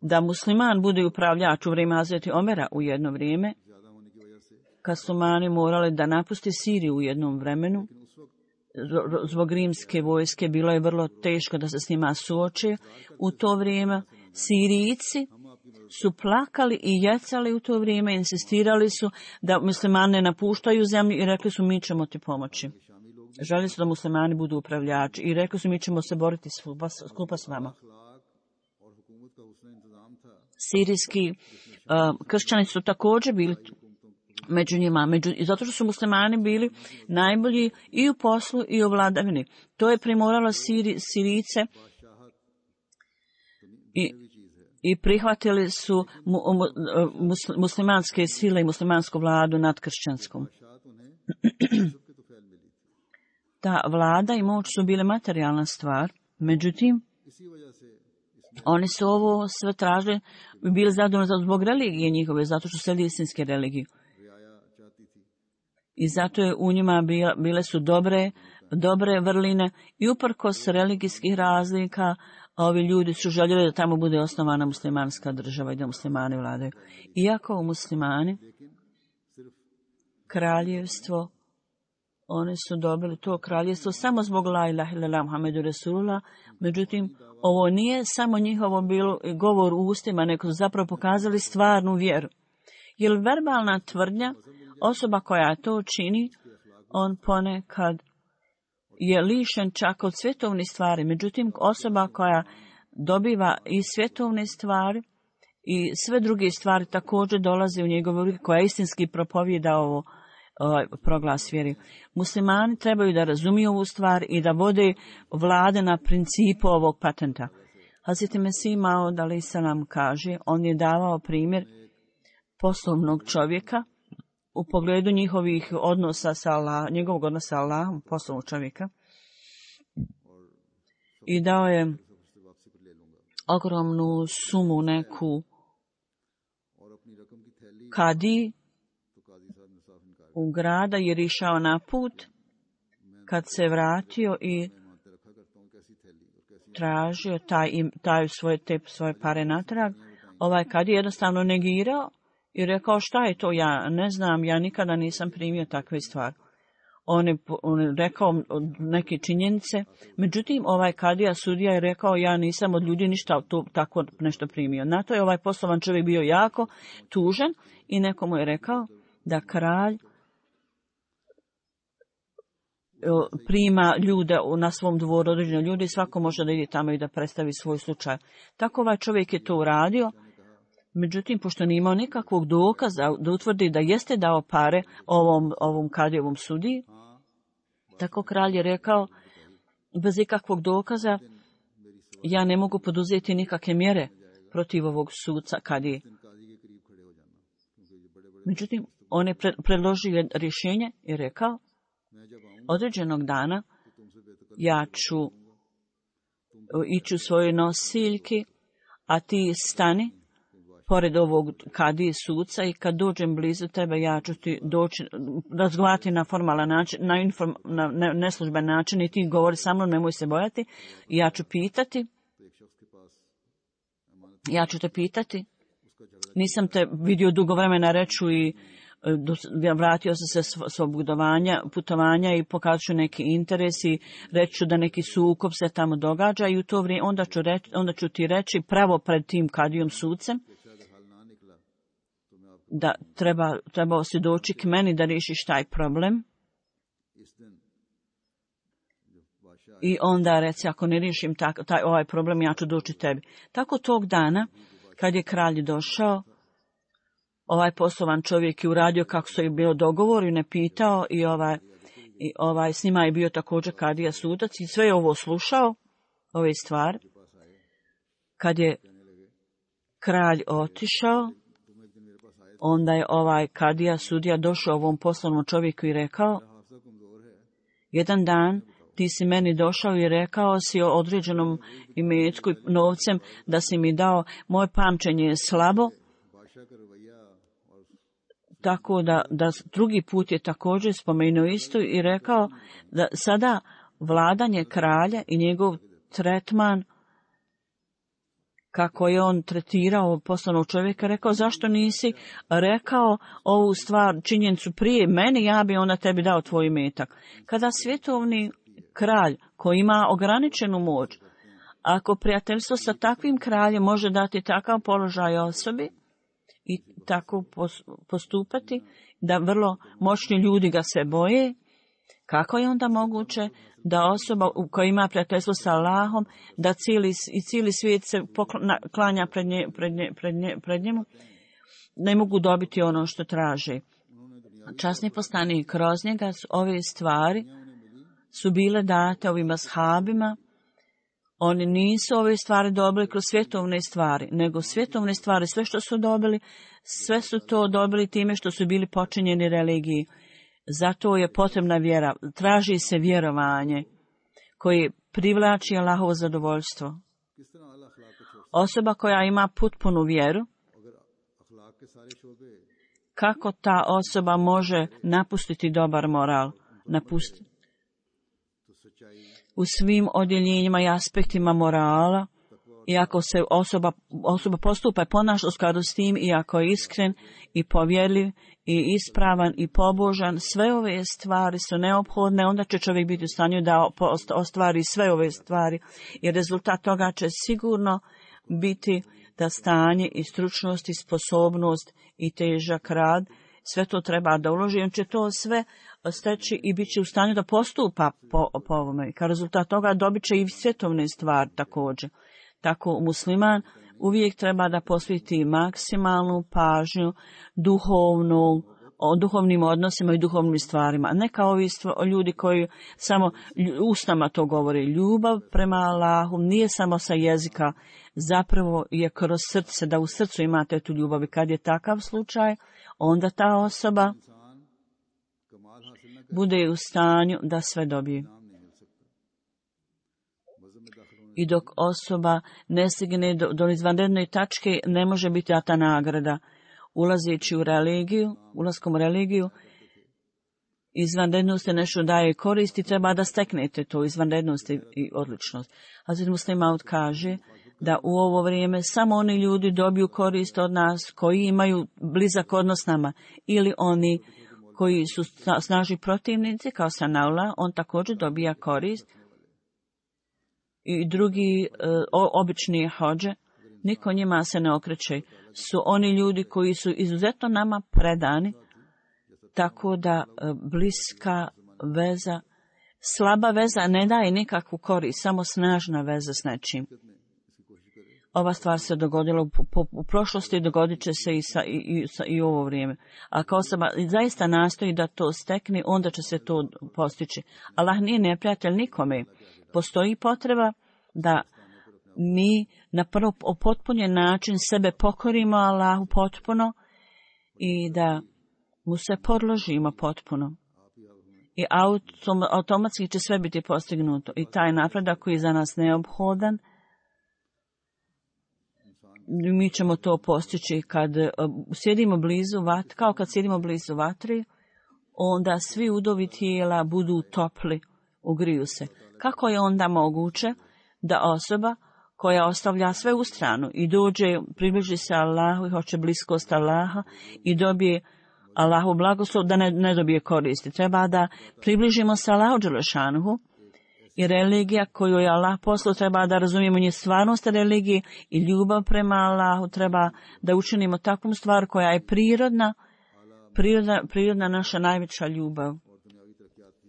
da musliman bude upravljač u vrijeme Hazreti Omera u jedno vrijeme, kad su mani morali da napusti Siriju u jednom vremenu. Zbog rimske vojske bilo je vrlo teško da se s njima suoče. U to vrijeme Sirijci su plakali i jecali u to vrijeme, insistirali su da muslimani ne napuštaju zemlju i rekli su mi ćemo ti pomoći. Želi su da muslimani budu upravljači i rekli su mi ćemo se boriti skupa s vama. Sirijski uh, kršćani su također bili među njima, među, zato što su muslimani bili najbolji i u poslu i u vladavini. To je primoralo Siri, Sirice i, i prihvatili su mu, mu, mus, muslimanske sile i muslimansku vladu nad kršćanskom. Ta vlada i moć su bile materijalna stvar, međutim, oni su ovo sve tražili, bili zadovoljni zbog religije njihove, zato što slijedi istinske religije. I zato je u njima bila, bile su dobre, dobre vrline i uprkos religijskih razlika, ovi ljudi su željeli da tamo bude osnovana muslimanska država i da muslimani vladaju. Iako u muslimani, kraljevstvo, oni su dobili to kraljevstvo samo zbog la ilaha illallah Muhammedu Rasulullah, međutim, ovo nije samo njihovo bilo govor u ustima, nego su zapravo pokazali stvarnu vjeru. Jer verbalna tvrdnja, osoba koja to čini, on ponekad je lišen čak od svjetovnih stvari. Međutim, osoba koja dobiva i svjetovne stvari i sve druge stvari također dolazi u njegovu ruku, koja istinski propovijeda ovo ovaj proglas vjeri. Muslimani trebaju da razumiju ovu stvar i da vode vlade na principu ovog patenta. Hazreti Mesih Maud alejhi selam kaže, on je davao primjer poslovnog čovjeka u pogledu njihovih odnosa sa Allah, njegovog odnosa sa Allahom, poslovnog čovjeka. I dao je ogromnu sumu neku kadi u grada jer je išao na put. Kad se vratio i tražio taj, taj svoje, te svoje pare natrag, ovaj kad je jednostavno negirao i rekao šta je to, ja ne znam, ja nikada nisam primio takve stvari. On je, on je rekao neke činjenice, međutim ovaj kadija sudija je rekao ja nisam od ljudi ništa to, tako nešto primio. Na to je ovaj poslovan čovjek bio jako tužan i nekomu je rekao da kralj prima ljude na svom dvoru, određene ljude i svako može da ide tamo i da predstavi svoj slučaj. Tako ovaj čovjek je to uradio, međutim, pošto nije imao nikakvog dokaza da utvrdi da jeste dao pare ovom, ovom kadijevom sudiji, tako kralj je rekao, bez ikakvog dokaza, ja ne mogu poduzeti nikakve mjere protiv ovog sudca kadije. Međutim, on je predložio rješenje i rekao, određenog dana ja ću ići u svoje nosiljke, a ti stani pored ovog kadije suca i kad dođem blizu tebe ja ću ti doći, razgovarati na formalan način, na, inform, na neslužben način i ti govori sa mnom, nemoj se bojati. I ja ću pitati, ja ću te pitati, nisam te vidio dugo vremena reću i vratio sam se svog putovanja, putovanja i pokazat ću neki interes i reću da neki sukob se tamo događa i u to vrijeme onda ću, reći, onda ću ti reći pravo pred tim kadijom sucem da treba, trebao si doći k meni da riješiš taj problem. I onda reci, ako ne riješim tak, taj, ovaj problem, ja ću doći tebi. Tako tog dana, kad je kralj došao, ovaj poslovan čovjek je uradio kako se je bio dogovor i ne pitao i ovaj, i ovaj s njima je bio također kadija sudac i sve je ovo slušao, ove stvari. Kad je kralj otišao, onda je ovaj kadija sudija došao ovom poslovnom čovjeku i rekao, jedan dan ti si meni došao i rekao si o određenom imetku i novcem da si mi dao, moje pamćenje je slabo, tako da, da drugi put je također spomenuo isto i rekao da sada vladanje kralja i njegov tretman, kako je on tretirao poslovnog čovjeka, rekao zašto nisi rekao ovu stvar, činjenicu prije meni, ja bi onda tebi dao tvoj imetak. Kada svjetovni kralj koji ima ograničenu moć, ako prijateljstvo sa takvim kraljem može dati takav položaj osobi i tako postupati, da vrlo moćni ljudi ga se boje, kako je onda moguće da osoba koja ima prijateljstvo sa Allahom, da cijeli, i cijeli svijet se klanja pred, nje, pred, nje, pred, nje, pred njemu, ne mogu dobiti ono što traže. Časni poslanik kroz njega ove stvari su bile date ovim ashabima. Oni nisu ove stvari dobili kroz svjetovne stvari, nego svjetovne stvari, sve što su dobili, sve su to dobili time što su bili počinjeni religiji. Zato je potrebna vjera. Traži se vjerovanje koje privlači Allahovo zadovoljstvo. Osoba koja ima potpunu vjeru, kako ta osoba može napustiti dobar moral? Napustiti. U svim odjeljenjima i aspektima morala, i ako se osoba, osoba postupa i ponaša u skladu s tim, i ako je iskren i povjerljiv i ispravan i pobožan, sve ove stvari su neophodne, onda će čovjek biti u stanju da ostvari sve ove stvari, i rezultat toga će sigurno biti da stanje i stručnost i sposobnost i težak rad, sve to treba da uloži, on će to sve steći i bit će u stanju da postupa po, po ovome. Kao rezultat toga dobit će i svjetovne stvari također. Tako musliman uvijek treba da posveti maksimalnu pažnju duhovnu, o duhovnim odnosima i duhovnim stvarima. Ne kao ovi stva, ljudi koji samo ustama to govore. Ljubav prema Allahu nije samo sa jezika, zapravo je kroz srce, da u srcu imate tu ljubav. I kad je takav slučaj, onda ta osoba bude u stanju da sve dobije. I dok osoba ne stigne do, do izvanredne tačke, ne može biti data nagrada. Ulazeći u religiju, ulaskom u religiju, izvanrednost je nešto daje koristi, treba da steknete to, izvanrednost i odličnost. Hazret Muslim Maud kaže da u ovo vrijeme samo oni ljudi dobiju korist od nas koji imaju blizak odnos s nama, ili oni koji su snažni protivnici, kao Sanaula, on također dobija korist. I drugi e, obični hođe, niko njima se ne okreće, su oni ljudi koji su izuzetno nama predani, tako da e, bliska veza, slaba veza ne daje nikakvu korist, samo snažna veza s nečim. Ova stvar se dogodila u, po, u prošlosti, dogodit će se i, sa, i, i, sa, i u ovo vrijeme. Ako osoba zaista nastoji da to stekne, onda će se to postići. Allah nije neprijatelj nikome. Postoji potreba da mi na prvo potpunjen način sebe pokorimo Allahu potpuno i da mu se podložimo potpuno. I autom, automatski će sve biti postignuto. I taj napredak koji je za nas neophodan, mi ćemo to postići kad sjedimo blizu vat, kao kad sjedimo blizu vatri, onda svi udovi tijela budu topli, ugriju se. Kako je onda moguće da osoba koja ostavlja sve u stranu i dođe, približi se Allahu i hoće bliskost Allaha i dobije Allahu blagoslov, da ne, ne dobije koristi? Treba da približimo se Allahu dželešanuhu, i religija koju je Allah poslao, treba da razumijemo nje stvarnost religije i ljubav prema Allahu, treba da učinimo takvu stvar koja je prirodna, prirodna, prirodna naša najveća ljubav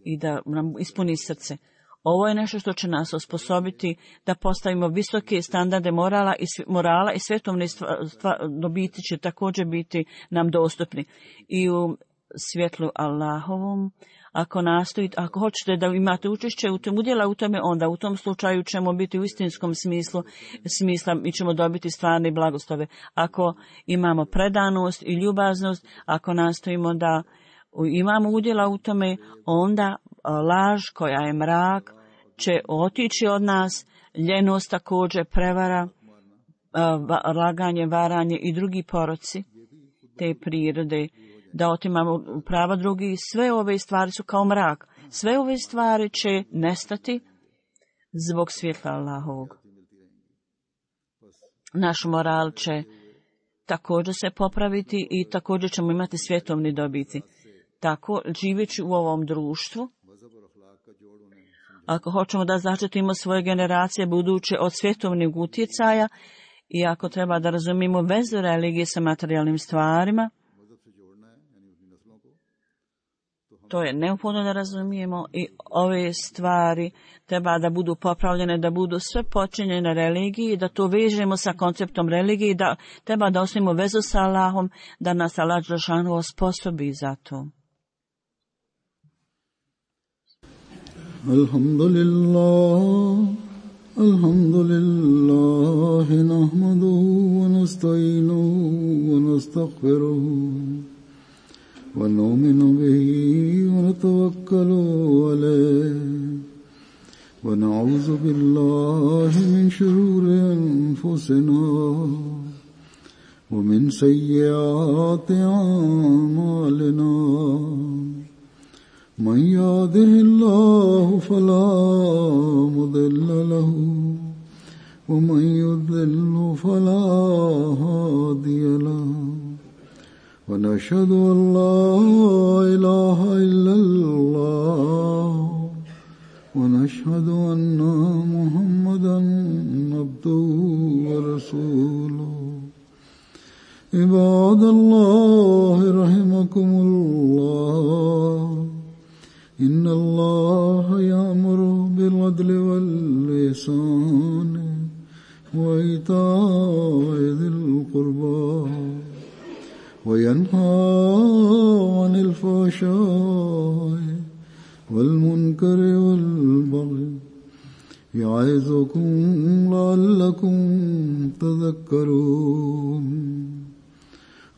i da nam ispuni srce. Ovo je nešto što će nas osposobiti da postavimo visoke standarde morala i, morala i svetovne stva, stva, dobiti će također biti nam dostupni. I u svjetlu Allahovom, ako nastojite, ako hoćete da imate učešće u tom udjela u tome, onda u tom slučaju ćemo biti u istinskom smislu, smisla i ćemo dobiti stvarne blagoslove. Ako imamo predanost i ljubaznost, ako nastojimo da imamo udjela u tome, onda laž koja je mrak će otići od nas, ljenost također, prevara, laganje, varanje i drugi poroci te prirode, da otimamo prava drugi. Sve ove stvari su kao mrak. Sve ove stvari će nestati zbog svjetla Allahovog. Naš moral će također se popraviti i također ćemo imati svjetovni dobiti. Tako, živeći u ovom društvu, ako hoćemo da zaštitimo svoje generacije buduće od svjetovnih utjecaja i ako treba da razumijemo vezu religije sa materijalnim stvarima, to je neophodno da razumijemo i ove stvari treba da budu popravljene, da budu sve počinjene religiji, da to vežemo sa konceptom religije, da treba da osnovimo vezu sa Allahom, da nas Allah dželešanu osposobi za to. Alhamdulillah, alhamdulillah, nahmaduhu wa nasta'inuhu wa nastaghfiruhu wa nu'minu bihi ونتوكل عليه ونعوذ بالله من شرور أنفسنا ومن سيئات أعمالنا من يهده الله فلا مضل له ومن يضلل فلا هادي له ونشهد أن لا إله إلا الله ونشهد أن محمدا عبده ورسوله عباد الله رحمكم الله إن الله يأمر بالعدل والإحسان وإيتاء ذي القربى وينهى عن الفحشاء والمنكر والبغي يعظكم لعلكم تذكرون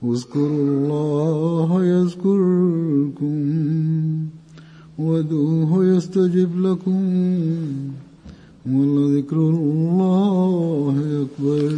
اذكروا الله يذكركم وادعوه يستجب لكم ولذكر الله أكبر.